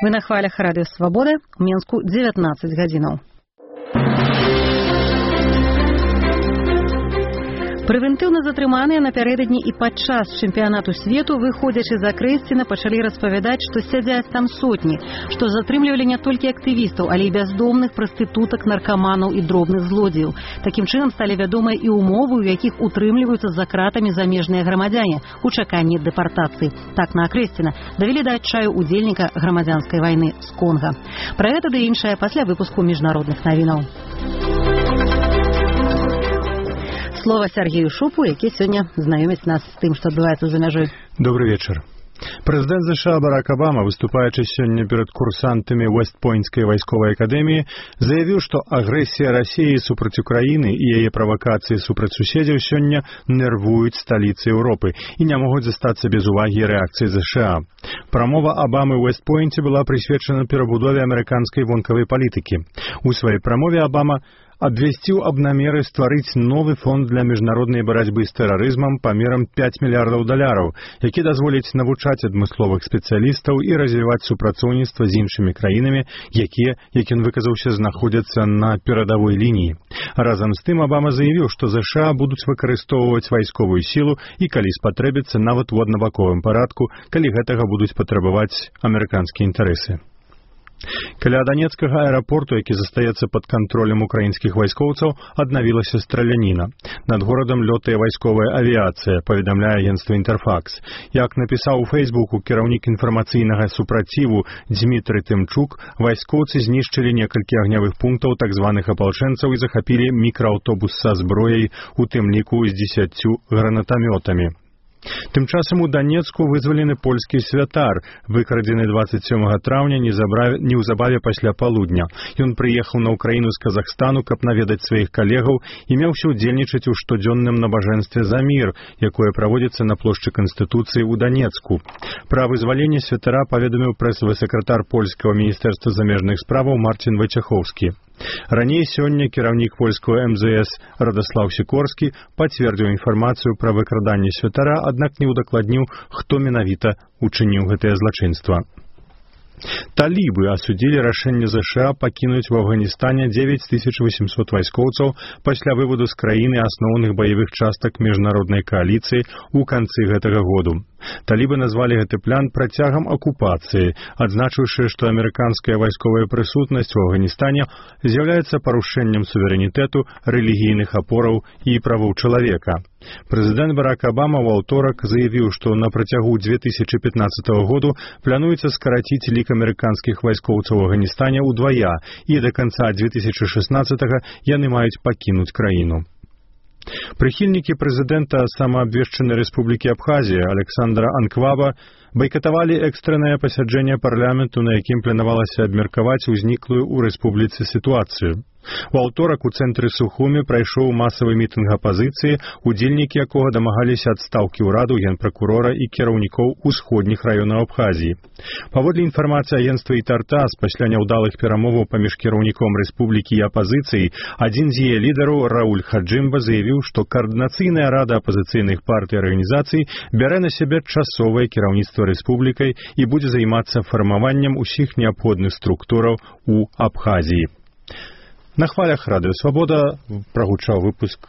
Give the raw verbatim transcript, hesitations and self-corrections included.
Вы на хвалях радыё Свабода, у Мінску дзевятнаццаць гадзінаў. Прэвентыўна затрыманыя напярэдадні і падчас чэмпіянату свету, выходзячы з Акрэсціна, пачалі распавядаць, што сядзяць там сотні, што затрымлівалі не толькі актывістаў, але і бяздомных, прастытутак, наркаманаў і дробных злодзеяў. Такім чынам сталі вядомыя і умовы, у якіх утрымліваюцца за кратамі замежныя грамадзяне у чаканні дэпартацыі. Так на Акрэсціна давялі да адчаю удзельніка грамадзянскай вайны з Конга. Пра гэта ды іншае пасля выпуску міжнародных навінаў. Слово Сергею Шупу, які сёння знаёміць нас з тым, што адбываецца за мяжой. Добрый вечар. Прэзідэнт ЗША Барак Абама, выступаючы сёння перад курсантамі Уэст-Пойнтскай вайсковай акадэміі, заявіў, што агрэсія Расіі супраць Украіны і яе правакацыі супраць суседзяў сёння нервуюць сталіцы Еўропы і не могуць застацца без увагі і рэакцыі ЗША. Прамова Абамы ў Уэст-Пойнце была прысвечана перабудове амерыканскай вонкавай палітыкі. У сваёй прамове Абама абвясціў аб намеры стварыць новы фонд для міжнароднай барацьбы з тэрарызмам памерам пяць мільярдаў даляраў, які дазволіць навучаць адмысловых спецыялістаў і развіваць супрацоўніцтва з іншымі краінамі, якія, як ён выказаўся, знаходзяцца на перадавой лініі. Разам з тым Абама заявіў, што ЗША будуць выкарыстоўваць вайсковую сілу і, калі спатрэбіцца, нават у аднабаковым парадку, калі гэтага будуць патрабаваць амерыканскія інтарэсы. Каля Данецкага аэрапорту, які застаецца пад кантролем украінскіх вайскоўцаў, аднавілася страляніна. Над горадам лётае вайсковая авіяцыя, паведамляе агенцтва «Інтэрфакс». Як напісаў у Фейсбуку кіраўнік інфармацыйнага супраціву Дзмітрый Тымчук, вайскоўцы знішчылі некалькі агнявых пунктаў так званых апалчэнцаў і захапілі мікрааўтобус са зброяй, у тым ліку з дзесяццю гранатамётамі. Тым часам у Данецку вызвалены польскі святар, выкрадзены дваццаць сёмага траўня неўзабаве пасля палудня. Ён прыехаў на ўкраіну з Казахстану, каб наведаць сваіх калегаў і меўся ўдзельнічаць у штодзённым набажэнстве за мір, якое праводзіцца на плошчы Канстытуцыі ў Данецку. Пра вызваленне святара паведаміў прэсавы сакратар польскага міністэрства замежных справаў Марцін Вайцехоўскі. Раней сёння кіраўнік польскага эм зэ эс Радаслаў Сікорскі пацвердзіў інфармацыю пра выкраданне святара, аднак не ўдакладніў, хто менавіта учыніў гэтае злачынства. Талібы асудзілі рашэнне ЗША пакінуць у Афганістане дзевяць тысяч восемьсот вайскоўцаў пасля выводу з краіны асноўных баявых частак міжнароднай кааліцыі ў канцы гэтага году. Талібы назвалі гэты план працягам акупацыі, адзначыўшы, што амерыканская вайсковая прысутнасць у Афганістане з'яўляецца парушэннем суверэнітэту, рэлігійных апораў і правоў чалавека. Прэзідэнт Барак Абама ў аўторак заявіў, што на працягу дзве тысячы пятнаццатага году плануецца скараціць лік амерыканскіх вайскоўцаў у Афганістане ўдвая, і да канца дзве тысячы шаснаццатага яны маюць пакінуць краіну. Прыхільнікі прэзідэнта самаабвешчанай рэспублікі Абхазія Александра Анкваба байкатавалі экстраннае пасяджэнне парламенту, на якім планавалася абмеркаваць узніклую ў рэспубліцы сітуацыю. У аўторак у цэнтры Сухуми прайшоў масавы мітынг апазіцыі, удзельнікі якога дамагаліся адстаўкі ўраду, генпракурора і кіраўнікоў усходніх раёнаў Абхазіі. Паводле інфармацыі агенцтва «Ітартас», пасля няўдалых перамоваў паміж кіраўніком рэспублікі і апазіцыяй, адзін з яе лідараў Рауль Хаджымба заявіў, што каардынацыйная рада апазіцыйных партый і арганізацый бярэ на сябе часовае кіраўніцтва рэспублікай і будзе займацца фармаваннем усіх неабходных структураў у Абхазіі. На хвалях радыё Свабода прагучаў выпуск